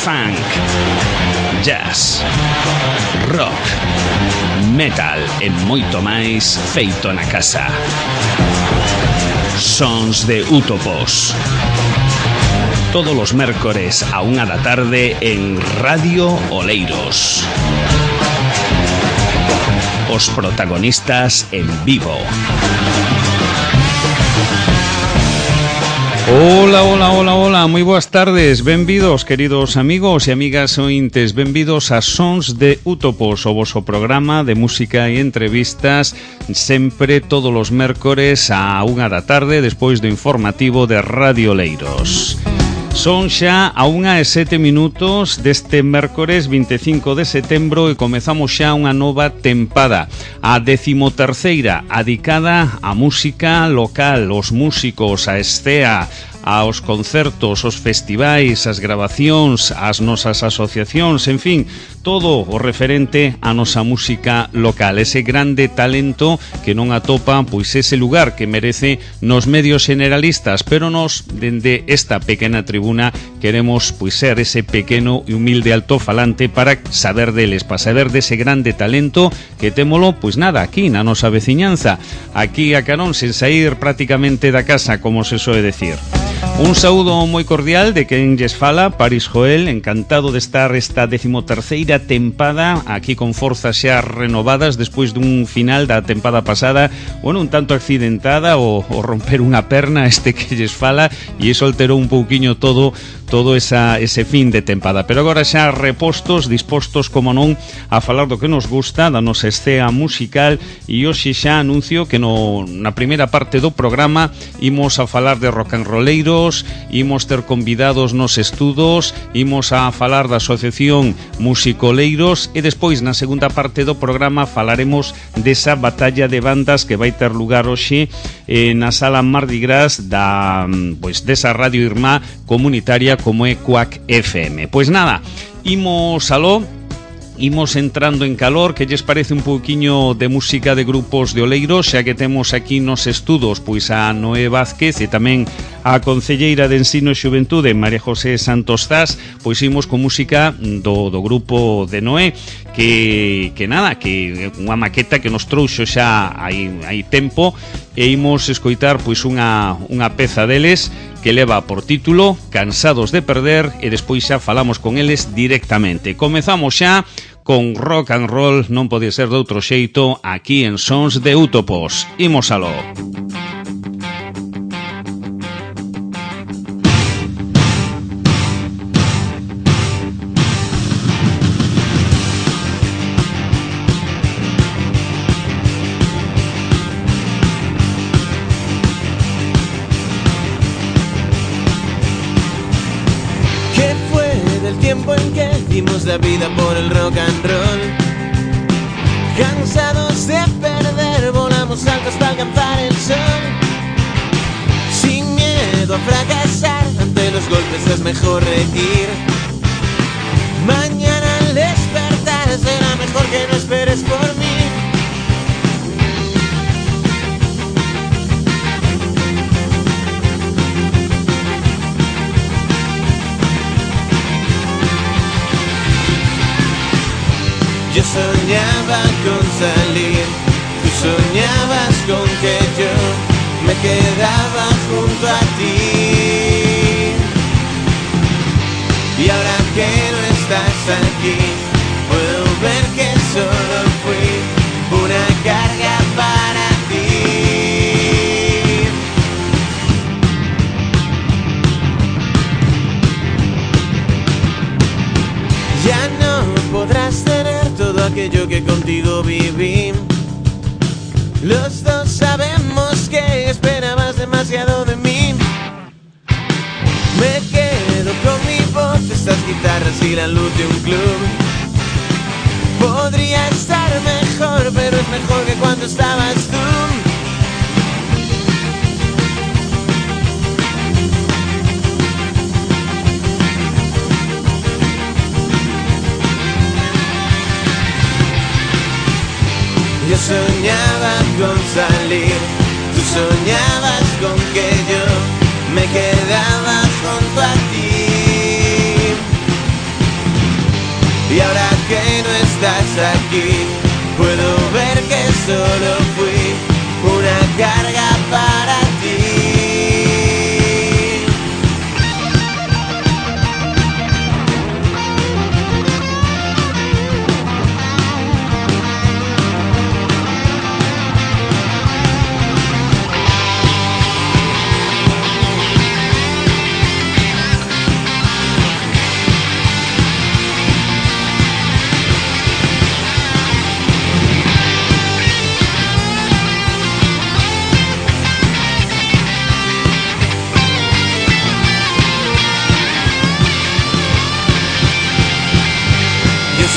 funk, jazz, rock, metal e moito máis feito na casa. Sons de Útopos. Todos os mércores a 1 da tarde en Radio Oleiros. Os protagonistas en vivo. Hola, moi boas tardes. Benvidos, queridos amigos e amigas ointes. Benvidos a Sons de Útopos, o voso programa de música e entrevistas, sempre todos os mércores a 1 da tarde, despois do informativo de Radio Oleiros. Son xa a 1:07 deste mércores 25 de setembro e comezamos xa unha nova tempada, a 13ª, adicada á música local, os músicos, a escea, aos concertos, os festivais, as grabacións, as nosas asociacións, en fin, todo o referente á nosa música local, ese grande talento que non atopa pois ese lugar que merece nos medios generalistas, pero nos, dende esta pequena tribuna, queremos pois ser ese pequeno e humilde altofalante para saber deles, para saber dese grande talento que témolo, pois nada, aquí na nosa veciñanza, aquí a carón, sen sair prácticamente da casa, como se soe decir. Un saúdo moi cordial de quen lles fala, Paris Joel, encantado de estar esta 13ª tempada aquí con forzas xa renovadas despois dun final da tempada pasada, bueno, un tanto accidentada o romper unha perna que lles fala e iso alterou un pouquiño todo ese fin de tempada, pero agora xa repostos, dispostos, como non, a falar do que nos gusta, da nosa escena musical, e hoxe xa anuncio que na primeira parte do programa imos a falar de rock and rolleiros, imos ter convidados nos estudos, imos a falar da Asociación Musicoleiros e despois na segunda parte do programa falaremos desa batalla de bandas que vai ter lugar hoxe na sala Mardi Gras desa Radio Irmá comunitaria como é Cuac FM. Pois nada, imos entrando en calor. Que lles parece un pouquiño de música de grupos de Oleiros, xa que temos aquí nos estudos pois a Noé Vázquez e tamén a concelleira de Ensino e Xuventude, María José Santos Zas, pois imos con música do grupo de Noé, que unha maqueta que nos trouxo xa hai tempo, e imos escoitar pois unha peza deles que leva por título Cansados de Perder, e despois xa falamos con eles directamente. Comezamos xa con rock and roll, non pode ser de outro xeito, aquí en Sons de Útopos. Imos aló. La vida por el rock and roll. Cansados de perder, volamos altos para alcanzar el sol. Sin miedo a fracasar, ante los golpes es mejor reír. Mañana al despertar será mejor que no esperes por mí. Yo soñaba con salir, tú soñabas con que yo me quedaba junto a ti. Y ahora que no estás aquí, puedo ver que solo fui una carga para ti. Ya no podrás tener todo aquello que contigo viví. Los dos sabemos que esperabas demasiado de mí. Me quedo con mi voz, estas guitarras y la luz de un club. Podría estar mejor, pero es mejor que cuando estabas tú. Yo soñaba con salir, tú soñabas con que yo me quedaba junto a ti. Y ahora que no estás aquí, puedo ver que solo fui una carga para ti.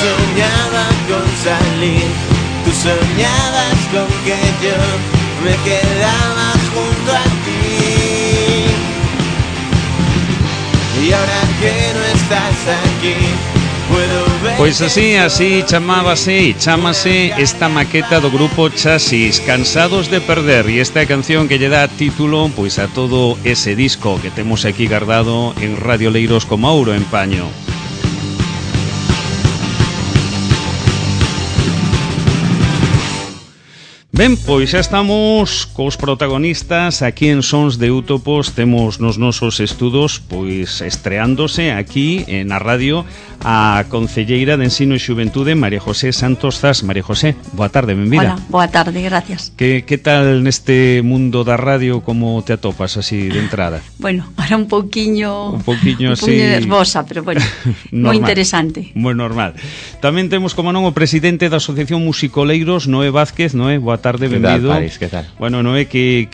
Soñaba con salir, tú soñabas con que yo me quedaba junto a ti. Y ahora que no estás aquí, puedo ver. Pois así chámase esta maqueta do grupo Chasis, Cansados de Perder, e esta canción que lle dá título pois a todo ese disco que temos aquí guardado en Radio Leiros como ouro en paño. Ben, pois xa estamos cos protagonistas aquí en Sons de Útopos. Temos nos nosos estudos pois estreándose aquí na radio a concelleira de Ensino e Xuventude, María José Santos Zas. María José, boa tarde, benvida. Hola, boa tarde, gracias. Que tal neste mundo da radio, como te atopas así de entrada? Bueno, ahora un pouquiño así nervosa, pero bueno, moi interesante. Moi normal. Tamén temos, como non, o presidente da Asociación Musicoleiros, Noé Vázquez. Noé, boa tarde, benvido. Que tal, Paris, que tal? Bueno, Noé, que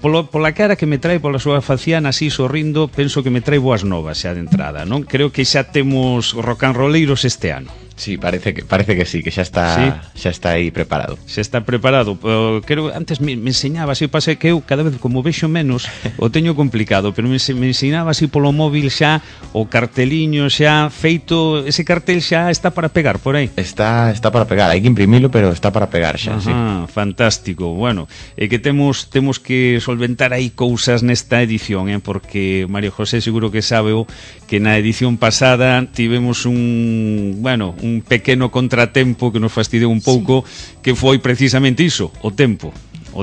pola cara que me trae, pola súa faciana así sorrindo, penso que me trae boas novas xa de entrada, non? Creo que xa temos rock and rolleiros este ano. Sí, parece que sí, que xa está aí preparado. Xa está preparado. Creo antes me enseñaba así, pase que eu cada vez como vexo menos o teño complicado, pero me enseñaba así polo móvil xa o carteliño xa feito, ese cartel xa está para pegar por aí. Está para pegar, hai que imprimilo, pero está para pegar xa, sí. Fantástico. Bueno, é que temos que solventar aí cousas nesta edición, porque María José seguro que sabe que na edición pasada tivemos un pequeno contratempo que nos fastidiou un pouco, sí, que foi precisamente iso, o tempo,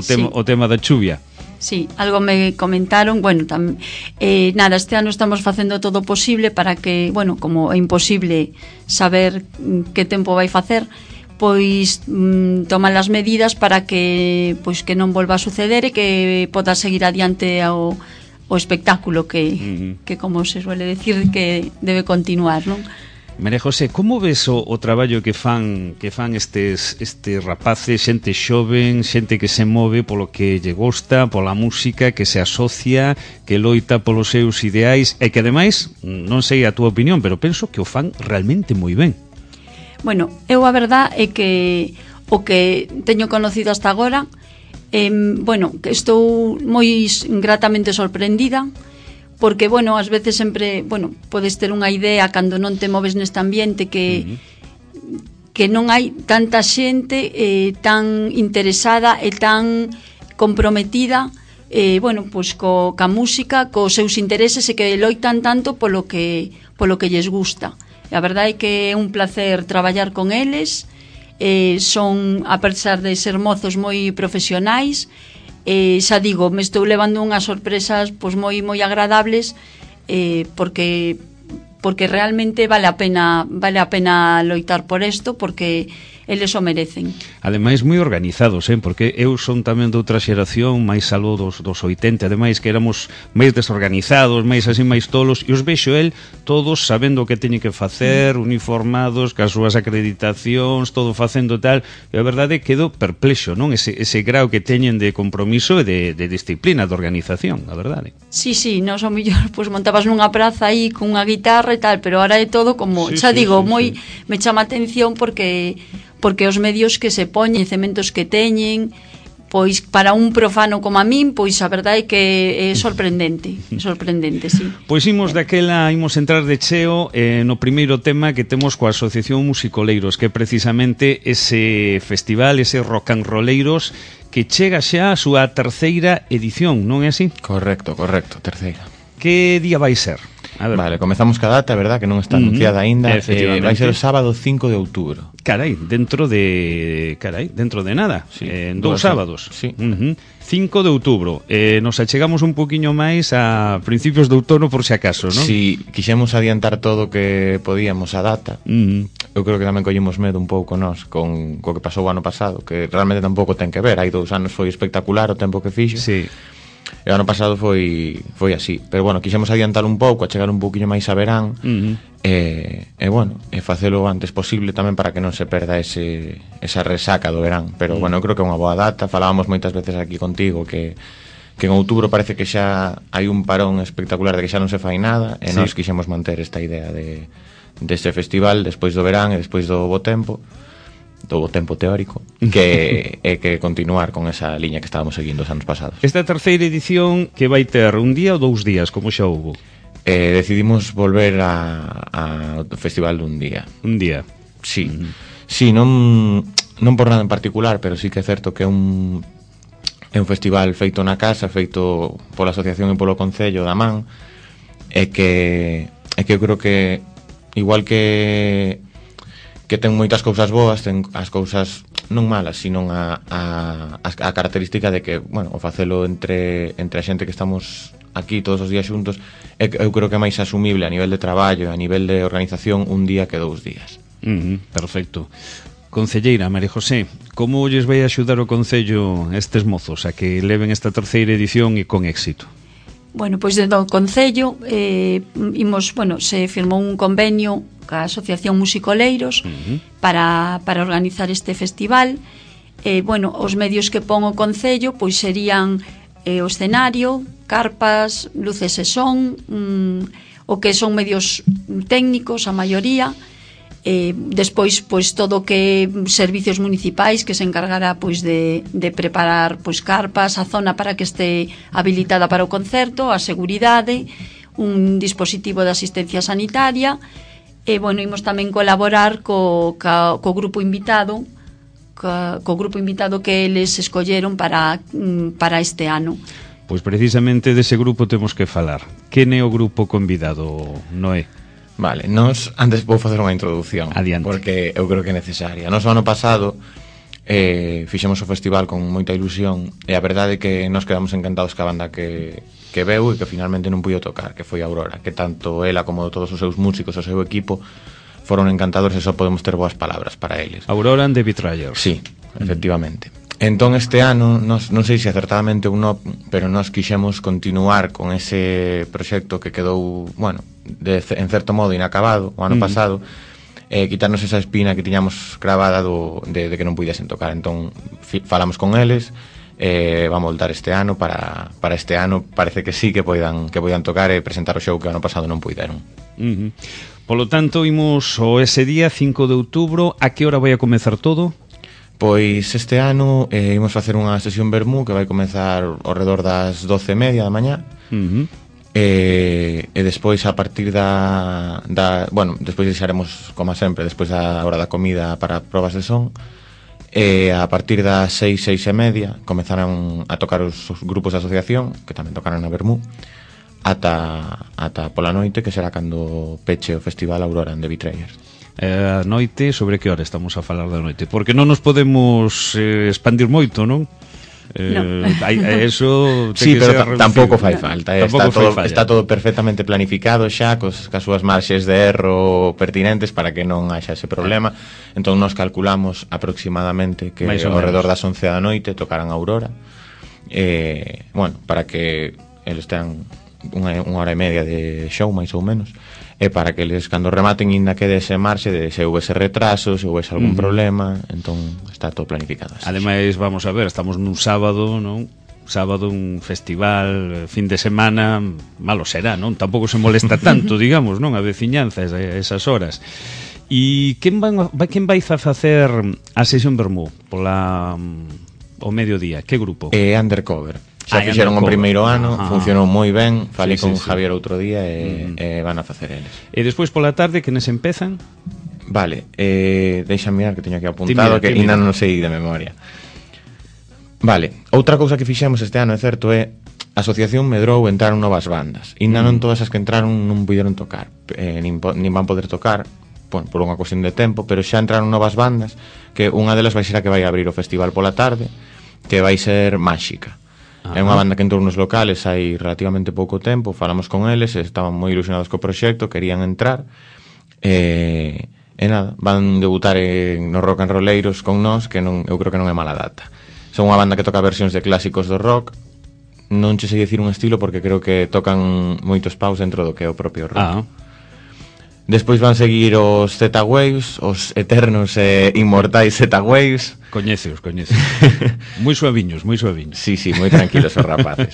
sí, o tema da chuvia. Sí, algo me comentaron, bueno, nada, este ano estamos facendo todo o posible para que, bueno, como é imposible saber que tempo vai facer, pois toman as medidas para que pois que non volva a suceder e que poda seguir adiante o espectáculo que como se suele decir, que debe continuar, non? María José, como ves o traballo que fan estes rapaces, xente xoven, xente que se move polo que lle gosta, pola música, que se asocia, que loita polos seus ideais e que ademais, non sei a túa opinión, pero penso que o fan realmente moi ben. Bueno, eu a verdad é que o que teño conocido hasta agora, bueno, que estou moi gratamente sorprendida, porque, bueno, ás veces sempre, bueno, podes ter unha idea cando non te moves neste ambiente que non hai tanta xente tan interesada e tan comprometida, bueno, pois ca música, cos seus intereses e que loitan tanto polo que lles gusta. E a verdade é que é un placer traballar con eles, son, a pesar de ser mozos, moi profesionais. Xa digo, me estou levando unhas sorpresas pois moi agradables, porque realmente vale a pena loitar por isto, porque eles o merecen. Ademais moi organizados, porque eu son tamén de outra xeración, máis algo dos 80, ademais que éramos máis desorganizados, máis así, máis tolos, e os vexo todos sabendo o que teñen que facer, uniformados, cas súas acreditacións, todo facendo tal, e a verdade quedo perplexo, non? Ese grau que teñen de compromiso e de disciplina, de organización, a verdade. Sí, non son mellor, pois montabas nunha praza aí con unha guitarra e tal, pero ahora é todo como, xa digo, moi me chama a atención porque os medios que se poñen, cementos que teñen, pois para un profano como a min, pois a verdade é que é sorprendente, sí. Pois imos entrar de cheo no primeiro tema que temos coa Asociación Musicoleiros, que é precisamente ese festival, ese rock and rolleiros, que chega xa a súa terceira edición, non é así? Correcto, terceira. Que día vai ser Vale, comezamos ca data, verdad, que non está anunciada aínda. Vai ser o sábado 5 de outubro. Carai, dentro de nada, Sí, en 2 sábados. Sí. 5 de outubro. Nos achegamos un poquinho máis a principios de outono por si acaso, non? Si quixemos adiantar todo o que podíamos a data. Eu creo que tamén collemos medo un pouco nós con co que pasou o ano pasado, que realmente tampouco ten que ver. Hai 2 anos foi espectacular o tempo que fixo. Sí. E o ano pasado foi así. Pero bueno, quixemos adiantar un pouco, a chegar un pouquiño máis a verán. E facelo o antes posible tamén para que non se perda esa resaca do verán. Pero bueno, eu creo que é unha boa data. Falábamos moitas veces aquí contigo que en outubro parece que xa hai un parón espectacular de que xa non se fai nada, e nós quixemos manter esta idea deste festival despois do verán e despois do bo tempo teórico, que é que continuar con esa liña que estábamos seguindo os anos pasados. Esta terceira edición que vai ter un día ou 2 días, como xa houve? Decidimos volver ao festival dun día. Un día. Sí. Sí, non por nada en particular, pero sí que é certo que é un festival feito na casa, feito pola asociación e polo concello da Man, e que eu creo que igual que ten moitas cousas boas, ten as cousas non malas, sino a característica de que, bueno, o facelo entre a xente que estamos aquí todos os días xuntos, eu creo que é máis asumible a nivel de traballo, a nivel de organización, un día que 2 días. Perfecto. Concelleira, María José, como lles vai axudar o Concello estes mozos a que leven esta terceira edición e con éxito? Bueno, pois dentro do Concello se firmou un convenio ca Asociación Musicoleiros para organizar este festival. Os medios que pon o Concello pois serían o escenario, carpas, luces e son, o que son medios técnicos, a maioría. Despois pois todo o que servicios municipais que se encargará pois de preparar pois carpas, a zona para que este habilitada para o concerto, a seguridade, un dispositivo de asistencia sanitaria. Imos tamén colaborar co grupo invitado que eles escolleron para este ano. Pois precisamente dese grupo temos que falar. Quen é o grupo convidado, Noé? Vale, antes vou facer unha introducción. Adiante. Porque eu creo que é necesaria. O ano pasado fixemos o festival con moita ilusión, e a verdade é que nos quedamos encantados ca banda que veu e que finalmente non puido tocar, que foi Aurora, que tanto ela como todos os seus músicos, o seu equipo foron encantadores, e só podemos ter boas palabras para eles. Aurora and the Betrayers. Sí, efectivamente. Entón este ano, non sei se acertadamente ou non, pero nós quixemos continuar con ese proxecto que quedou, bueno, en certo modo inacabado o ano pasado, quitarnos esa espina que tiñamos cravada de que non puidesen tocar. Entón falamos con eles, vamos voltar este ano para este ano parece que sí que poidan tocar e presentar o show que o ano pasado non puideron. Polo tanto, imos ese día 5 de outubro. A que hora vai a comezar todo? Pois este ano imos facer unha sesión vermú que vai comezar ao redor das 12:30 da mañá. E despois a partir despois deixaremos, como sempre, despois da hora da comida para probas de son. E a partir das 6:30 comezarán a tocar os grupos de asociación, que tamén tocarán na vermú, ata pola noite, que será cando peche o festival Aurora and the Betrayers. A noite, sobre que hora estamos a falar da noite? Porque non nos podemos expandir moito, non? Eso sí, pero tampouco fai falta, está todo perfectamente planificado xa cas súas marxes de erro pertinentes para que non haxa ese problema. Entón nos calculamos aproximadamente que ao redor das 11 da noite tocarán Aurora, para que eles tean unha hora e media de show máis ou menos, e para que eles cando rematen ainda quede ese marxe de se houvese retrasos, se houvese algún problema. Entón está todo planificado así. Ademais, vamos a ver, estamos nun sábado, non? Sábado, un festival, fin de semana, malo será, non? Tampouco se molesta tanto, digamos, non? A veciñanza esas horas. E quen vai a facer a sesión vermú o mediodía? Que grupo? Undercover. Xa fixeron o primeiro ano, funcionou moi ben. Falei con Javier outro día e van a facer eles. E despois pola tarde, quenes empezan? Vale, deixa mirar que teño aquí apuntado, que ainda non sei de memoria. Vale, outra cousa que fixemos este ano, é certo, é a asociación medrou, entraron novas bandas. Ainda non todas as que entraron non puderon tocar, nin van poder tocar, por unha cuestión de tempo, pero xa entraron novas bandas, que unha delas vai ser a que vai abrir o festival pola tarde, que vai ser Máxica. É unha banda que entrou nos locales hai relativamente pouco tempo, falamos con eles, estaban moi ilusionados co proxecto, querían entrar, e nada, van debutar nos Rock and Rolleiros con nós, que eu creo que non é mala data. Son unha banda que toca versións de clásicos do rock, non che sei dicir un estilo porque creo que tocan moitos paus dentro do que é o propio rock. Despois van seguir os Z-Waves, os eternos e inmortais Z-Waves. Coñeceos. Moi suaviños. Sí, moi tranquilos os rapaces.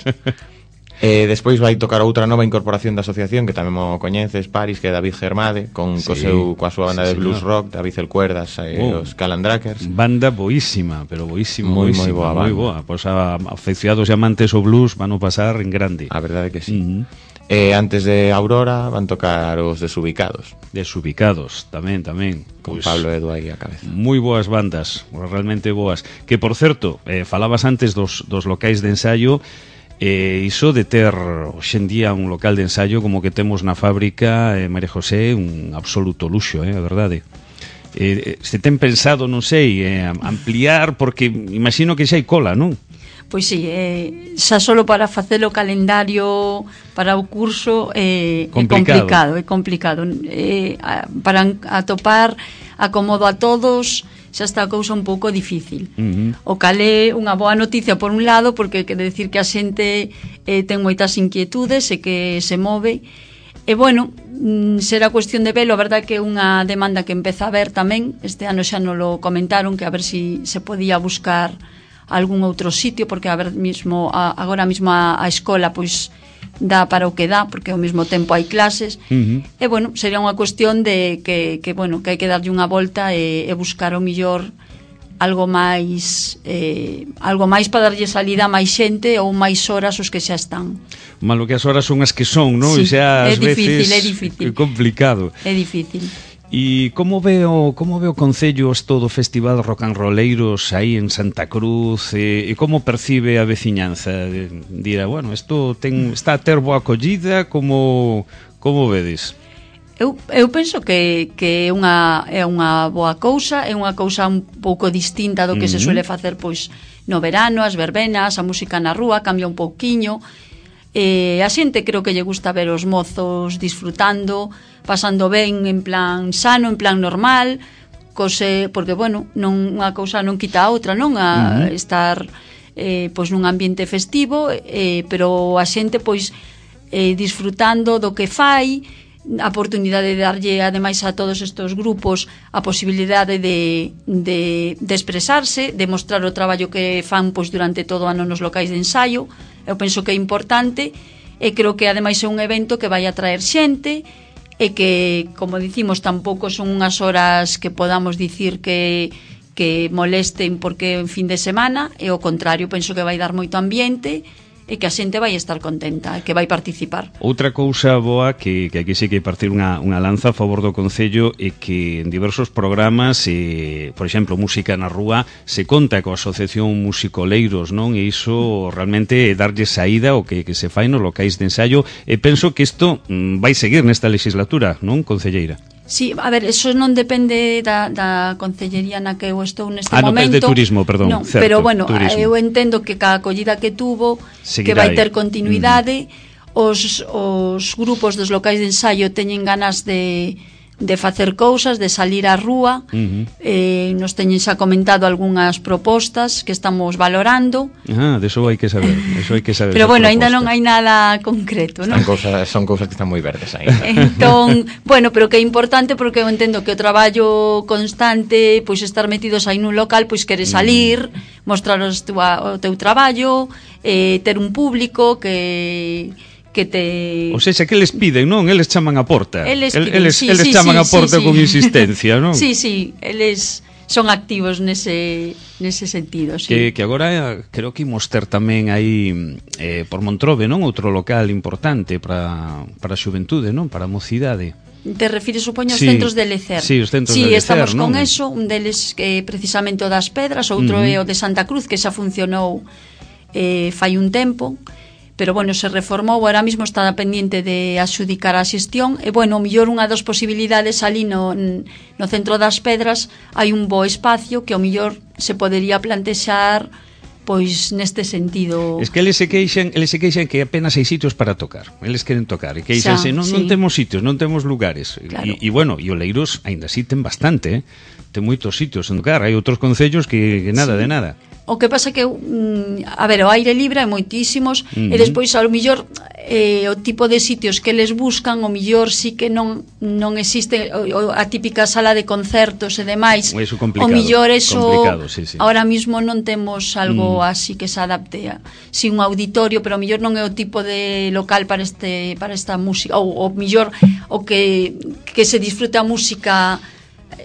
Despois vai tocar outra nova incorporación da asociación, que tamén mo coñeces, Paris, que é David Germade, coa súa banda de blues rock, David El Cuerdas e os Calandrakers. Banda boísima, pero boísima. Moi boa. Pois afeccionados e amantes ao blues van a pasar en grande. A verdade que sí. Antes de Aurora van tocar os Desubicados. Desubicados, tamén. Con Pablo Edu aí a cabeza. Moi boas bandas, realmente boas. Que, por certo, falabas antes dos locais de ensaio, iso de ter hoxendía un local de ensaio como que temos na fábrica, María José, un absoluto luxo, a verdade. Se ten pensado, non sei, ampliar, porque imagino que xa hai cola, non? Pois sí, xa solo para facer o calendario para o curso é complicado. Para atopar acomodo a todos xa está a cousa un pouco difícil. O cal é unha boa noticia por un lado, porque quere decir que a xente ten moitas inquietudes e que se move. E bueno, será cuestión de velo, a verdade que é unha demanda que empeza a ver tamén. Este ano xa nos lo comentaron, que a ver si se podía buscar algún outro sitio, porque agora mismo a escola pois dá para o que dá, porque ao mesmo tempo hai clases. E bueno, sería unha cuestión de que hai que darlle unha volta e buscar o millor algo máis para darlle salida a máis xente ou máis horas os que xa están. Malo que as horas son as que son, non? Sí, xa ás veces é complicado. É difícil. E como ve o Concello isto do Festival Rock and Rolleiros aí en Santa Cruz, e como percibe a veciñanza? Dirá, bueno, isto está a ter boa acollida, como vedes? Eu penso que é unha boa cousa, é unha cousa un pouco distinta do que se suele facer pois no verano, as verbenas, a música na rúa cambia un pouquiño. A xente creo que lle gusta ver os mozos disfrutando, pasando ben en plan sano, en plan normal, porque, bueno, unha cousa non quita a outra, non? A estar pois nun ambiente festivo, pero a xente pois disfrutando do que fai, a oportunidade de darlle ademais a todos estes grupos a posibilidade de expresarse, de mostrar o traballo que fan pois durante todo o ano nos locais de ensaio. Eu penso que é importante e creo que ademais é un evento que vai atraer xente e que, como dicimos, tampouco son unhas horas que podamos dicir que molesten porque en fin de semana, e ao contrario, penso que vai dar moito ambiente e que a xente vai estar contenta, que vai participar. Outra cousa boa que aquí sí que partir unha lanza a favor do Concello é que en diversos programas, por exemplo, Música na Rúa, se conta coa Asociación Musicoleiros, non? E iso realmente é darlle saída o que se fai nos locais de ensaio, e penso que isto vai seguir nesta legislatura, non, concelleira? Sí, a ver, eso non depende da concellería na que eu estou neste momento. De turismo, perdón, no, certo. Pero bueno, turismo. Eu entendo que cada acollida que tuvo, seguirá, que vai ter continuidade, os grupos dos locais de ensaio teñen ganas de facer cousas, de salir á rúa. Nos teñen xa comentado algunhas propostas que estamos valorando. Deso hai que saber, Pero bueno, aínda non hai nada concreto, non? Son cousas que están moi verdes aí. Entón, bueno, pero que é importante porque eu entendo que o traballo constante, pois estar metidos aí nun local, pois queres salir, mostrar o teu traballo, ter un público que te... O sea, que eles piden, non? Eles chaman a porta. Eles chaman a porta con insistencia, non? Sí, eles son activos nese sentido, sí. Que agora creo que imos ter tamén aí por Montrobe, non? Outro local importante para a xuventude, non? Para a mocidade. Te refires, supoño, aos centros de lecer. Sí, os centros de lecer, estamos non? con eso, un deles que precisamente o das Pedras, outro é o de Santa Cruz, que xa funcionou fai un tempo. pero bueno, se reformou, ahora mismo está pendiente de adxudicar a xestión, e bueno, o mellor unha das posibilidades ali no Centro das Pedras hai un bo espacio que o mellor se podería plantexar pois neste sentido. Es que eles se queixan que apenas hai sitios para tocar. Eles queren tocar e queixanse, non temos sitios, non temos lugares. Claro. E bueno, e Oleiros aínda así ten bastante, ten moitos sitios en tocar. Hai outros concellos que nada de nada. O que pasa que a ver, o aire libre hai moitísimos e despois ao mellor o tipo de sitios que eles buscan o mellor sí que non existe a típica sala de concertos e demais. Eso complicado, o mellor eso sí. Ahora mismo non temos algo así que se adapte a un auditorio, pero o mellor non é o tipo de local para esta música ou mellor o que se disfruta a música,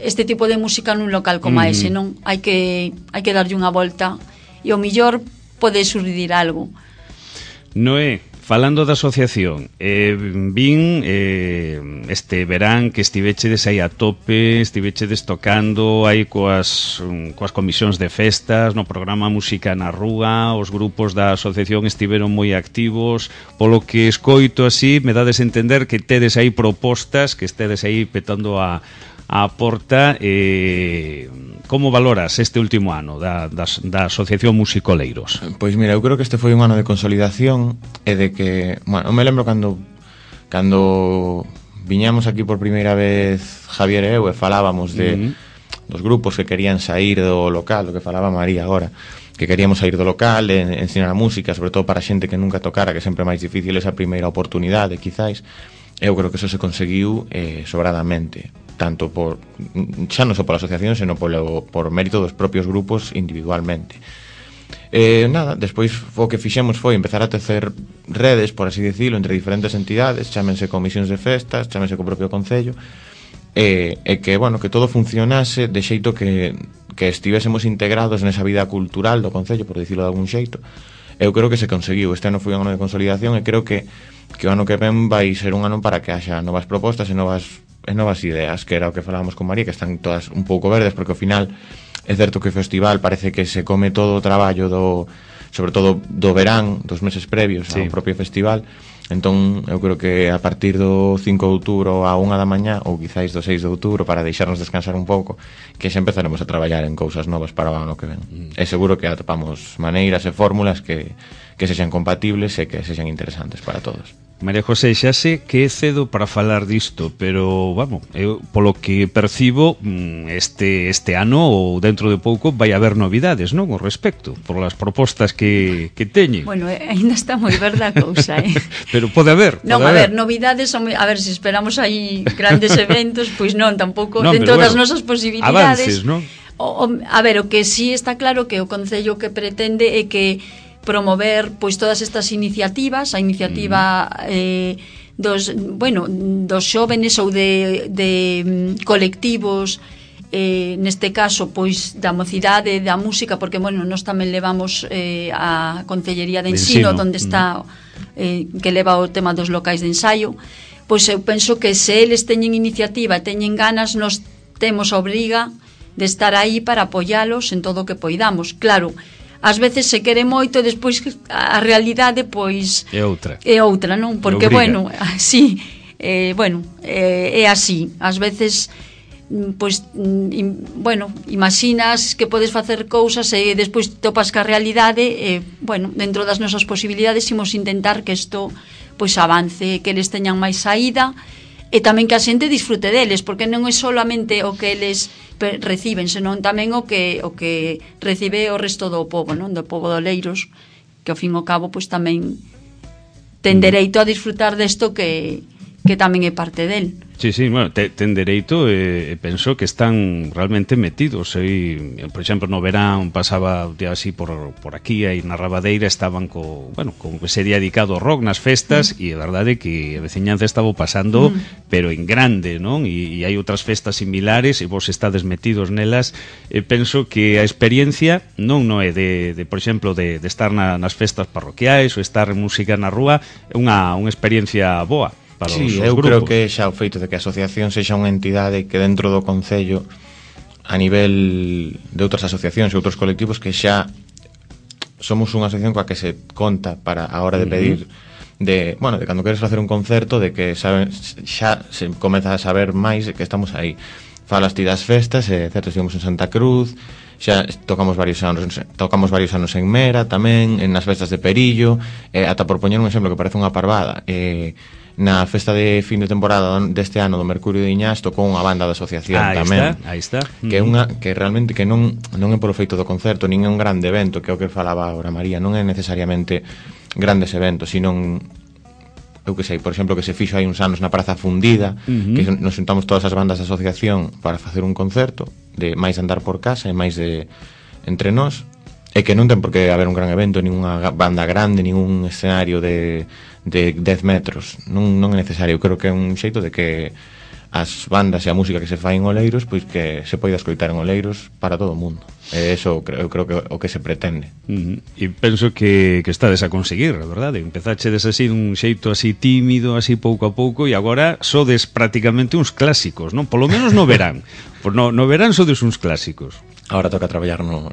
este tipo de música nun local como ese, non? Hai que darlle unha volta e o mellor pode surdir algo. Noé, falando da asociación, vin este verán que estivechedes aí a tope, estivechedes tocando aí coas comisións de festas, no programa Música na Rúa, os grupos da asociación estiveron moi activos, polo que escoito así, me dades a entender que tedes aí propostas, que estedes aí petando a porta. Como valoras este último ano da Asociación Musicoleiros? Pois mira, eu creo que este foi un ano de consolidación e de que, bueno, me lembro cando viñamos aquí por primeira vez Javier e eu e falábamos dos grupos que querían sair do local, do que falaba María agora, que queríamos sair do local e ensinar a música, sobre todo para xente que nunca tocara, que sempre é máis difícil esa primeira oportunidade, quizáis. Eu creo que eso se conseguiu sobradamente, tanto xa non só pola asociación, senón por mérito dos propios grupos individualmente. Nada, despois o que fixemos foi empezar a tecer redes, por así dicilo, entre diferentes entidades, chámense comisións de festas, chámense co propio concello, e que, bueno, que todo funcionase de xeito que estivésemos integrados nesa vida cultural do concello, por dicilo de algún xeito. Eu creo que se conseguiu. Este ano foi un ano de consolidación e creo que o ano que ven vai ser un ano para que haxa novas propostas e novas ideas, que era o que falábamos con María, que están todas un pouco verdes, porque ao final é certo que o festival parece que se come todo o traballo sobre todo do verán, dos meses previos ao propio festival. Entón, eu creo que a partir do 5 de outubro a 1 da mañá, ou quizáis do 6 de outubro, para deixarnos descansar un pouco, que xa empezaremos a traballar en cousas novas para o ano que ven. É seguro que atopamos maneiras e fórmulas que sexan compatibles e que sexan interesantes para todos. María José, xa sei que é cedo para falar disto, pero, vamos, eu, polo que percibo, este ano ou dentro de pouco vai haber novidades, non, ao respecto, por las propostas que teñen. Bueno, ainda está moi verda a cousa, Pero pode haber. Non, a ver, novidades, a ver, se esperamos aí grandes eventos, pois non, tampouco, non, dentro das nosas posibilidades. Avances, non? A ver, o que sí está claro que o Concello que pretende é que promover pois todas estas iniciativas, a iniciativa dos xóvenes ou de colectivos, neste caso pois da mocidade, da música, porque bueno, nós tamén levamos a Concellería de Ensino, onde está que leva o tema dos locais de ensaio. Pois eu penso que se eles teñen iniciativa e teñen ganas, nós temos a obriga de estar aí para apoialos en todo o que poidamos. Claro, ás veces se quere moito e despois a realidade pois é outra, non? Porque bueno, sí, é así. Ás veces pois imaginas que podes facer cousas e despois topas ca realidade e dentro das nosas posibilidades imos intentar que isto pois avance, que eles teñan máis saída e tamén que a xente disfrute deles, porque non é solamente o que eles reciben, senón tamén o que recibe o resto do pobo, non? Do pobo de Oleiros, que ao fin e ao cabo pois tamén ten dereito a disfrutar desto que tamén é parte del. Sí, bueno, ten dereito e penso que están realmente metidos. Por exemplo, no verán pasaba así por aquí, aí na Rabadeira estaban con que sería dedicado ao rock nas festas e é verdade que a veciñanza estaba pasando pero en grande, non? E hai outras festas similares e vos estades metidos nelas. Penso que a experiencia non é de por exemplo, de estar nas festas parroquiais ou estar en música na rúa, é unha experiencia boa. Sí, eu creo que xa o feito de que a asociación sexa unha entidade que dentro do Concello, a nivel de outras asociacións e outros colectivos, que xa somos unha asociación coa que se conta para a hora de pedir de cando queres facer un concerto, de que xa se comeza a saber máis de que estamos aí. Falas ti das festas, certo, estivemos en Santa Cruz, xa tocamos varios anos en Mera tamén, nas festas de Perillo, ata por poñer un exemplo que parece unha parvada, na festa de fin de temporada deste ano do Mercurio de Iñás tocou unha banda da asociación tamén. Aí está. Que realmente que non é polo feito do concerto, nin é un grande evento, que é o que falaba agora María, non é necesariamente grandes eventos, sino eu que sei, por exemplo, que se fixo hai uns anos na Praza Fundida, que nos juntamos todas as bandas da asociación para facer un concerto, de máis andar por casa e máis de entre nós, e que non ten por que haber un gran evento, nin unha banda grande, nin un escenario de 10 metros, non é necesario. Eu creo que é un xeito de que as bandas e a música que se fai en Oleiros, pois que se poida escoitar en Oleiros para todo o mundo. E eso eu creo que o que se pretende. E penso que estades a conseguir, a verdade. Empezachedes así dun xeito así tímido, así pouco a pouco, e agora sodes prácticamente uns clásicos, non? Polo menos no verán. No verán sodes uns clásicos. Ahora toca traballar no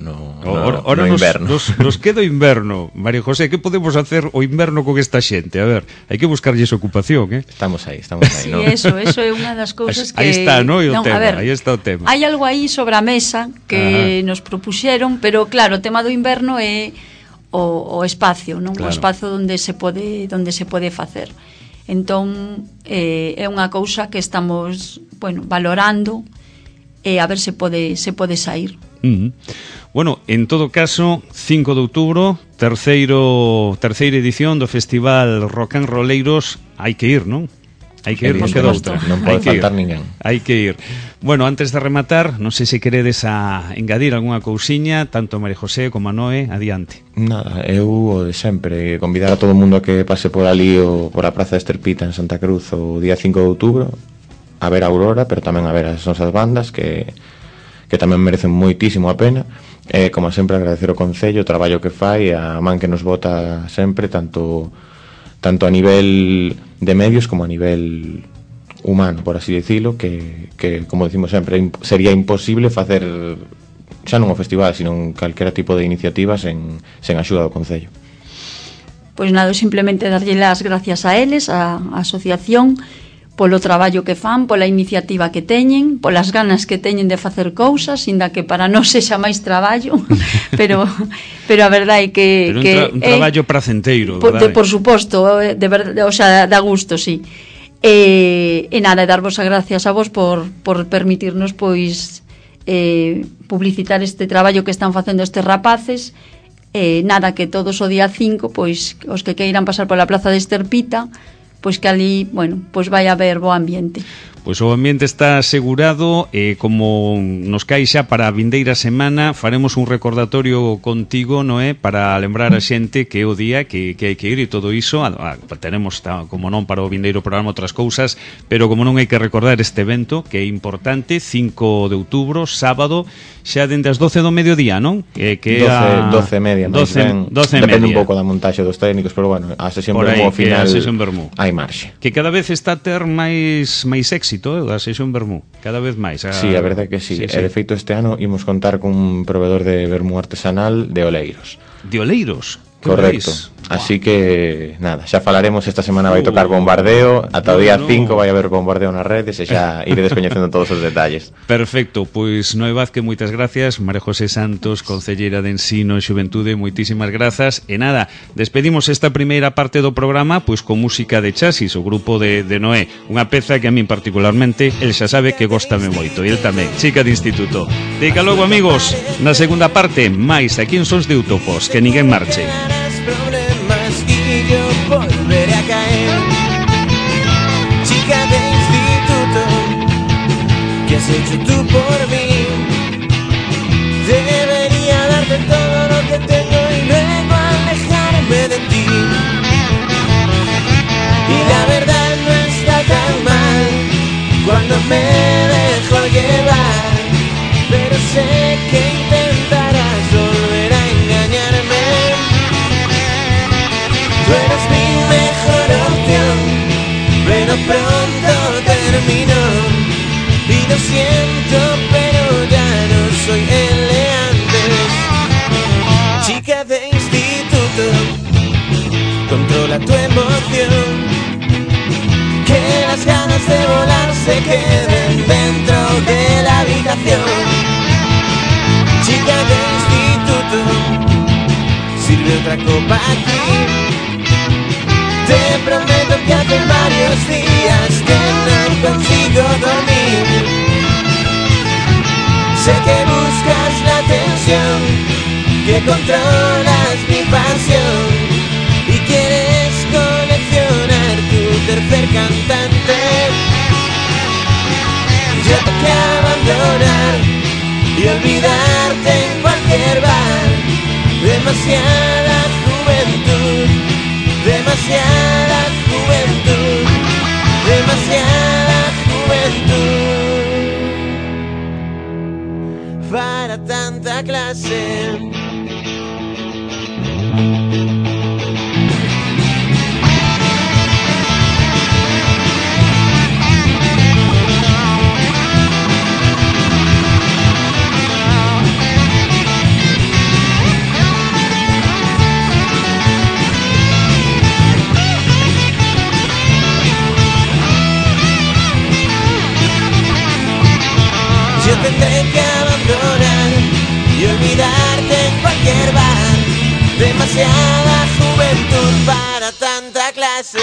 inverno. Nos queda o inverno. María José, que podemos hacer o inverno con esta xente? A ver, hai que buscarlles ocupación, Estamos aí. Sí, ¿no? eso é unha das cousas que... Aí está, ¿no? Aí está o tema. Hai algo aí sobre a mesa que nos propuxeron, pero claro, o tema do inverno é o espacio, non? Claro. O espacio onde se pode facer. Entón, é unha cousa que estamos, valorando e a ver se pode sair. Bueno, en todo caso, 5 de outubro, terceira edición do Festival Rock and Rolleiros, hai que ir, non? Hai que ir, non queda outra. Non pode faltar ninguén. Hai que ir. Bueno, antes de rematar, non sei se queredes engadir algunha cousiña, tanto María José como a Noé, adiante. Nada, eu o de sempre, convidar a todo o mundo a que pase por ali ou por a Praza de Esterpita en Santa Cruz o día 5 de outubro, a ver a Aurora, pero tamén a ver as nosas bandas que tamén merecen moitísimo a pena. Como sempre, agradecer o Concello, o traballo que fai, a man que nos bota sempre, tanto a nivel de medios como a nivel humano, por así decirlo, que como decimos sempre, sería imposible facer xa non o festival, sino calquera tipo de iniciativa sen axuda do Concello. Pois nada, simplemente darlle as gracias a eles, a asociación, polo traballo que fan, pola iniciativa que teñen, polas ganas que teñen de facer cousas, inda que para non sexa máis traballo, pero a verdade é que un traballo pracenteiro, verdade? Por suposto, de verdade, o sea, da gusto, sí. E nada, darvos as gracias a vos por permitirnos publicitar este traballo que están facendo estes rapaces. Nada, que todos o día 5, pois os que queiran pasar pola Plaza de Esterpita, pois que ali, vai haber bo ambiente. Pois o ambiente está asegurado e como nos cae xa para a vindeira semana faremos un recordatorio contigo, Noé, para lembrar a xente que é o día que hai que ir e todo iso. Tenemos, como non, para o vindeiro programa outras cousas, pero como non hai que recordar este evento que é importante, 5 de outubro, sábado, xa dende as 12 do mediodía, non? Que 12 e media, 12 depende un pouco da montaxe dos técnicos, pero bueno, a sesión Vermú ao final hai marxe. Que cada vez está a ter máis éxito da sesión Vermú, cada vez máis. Sí, a verdade que sí. De feito, este ano imos contar con un proveedor de Vermú artesanal de Oleiros. De Oleiros? Correcto. Así que, nada, xa falaremos. Esta semana vai tocar Bombardeo. Ata o día 5 vai haber Bombardeo nas redes e xa iredes coñecendo todos os detalles. Perfecto, pois Noé Vázquez, moitas gracias. María José Santos, concelleira de Ensino e Xuventude, moitísimas grazas. E nada, despedimos esta primeira parte do programa pois con música de Chasis, o grupo de Noé. Unha peza que a min particularmente, el xa sabe que góstame moito. E el tamén, chica de instituto. Dica logo, amigos, na segunda parte, máis aquí en Sons de Utopos. Que ninguén marche. Yo volveré a caer. Chica de instituto, ¿qué has hecho tú por mí? Debería darte todo lo que tengo y luego alejarme de ti. Y la verdad no está tan mal cuando me dejo llevar, pero sé que intentarás volver a engañarme. Tú eres mi mejor opción, pero pronto termino. Y lo siento, pero ya no soy el de antes. Chica de instituto. habitación, que las ganas de volar se queden dentro de la habitación. Chica de instituto, sirve otra copa aquí. Te prometo que hace varios días que no consigo dormir. Sé que buscas la tensión, que controlas mi pasión y quieres coleccionar tu tercer cantante. Yo tengo que abandonar y olvidarte en cualquier bar. Demasiada juventud, demasiada juventud, demasiada juventud para tanta clase. Yo tendré que abandonar y olvidarte en cualquier bar. Demasiada juventud para tanta clase.